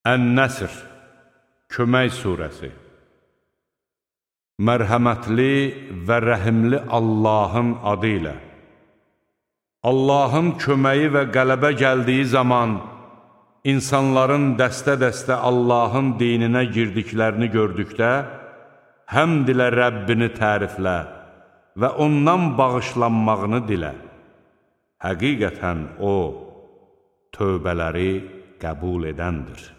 Ən-Nəsr, Kömək surəsi. Mərhəmətli və rəhimli Allahın adı ilə. Allahın köməyi və qələbə gəldiyi zaman, insanların dəstə-dəstə Allahın dininə girdiklərini gördükdə, həmd ilə Rəbbini təriflə və ondan bağışlanmağını dilə. Həqiqətən O, tövbələri qəbul edəndir.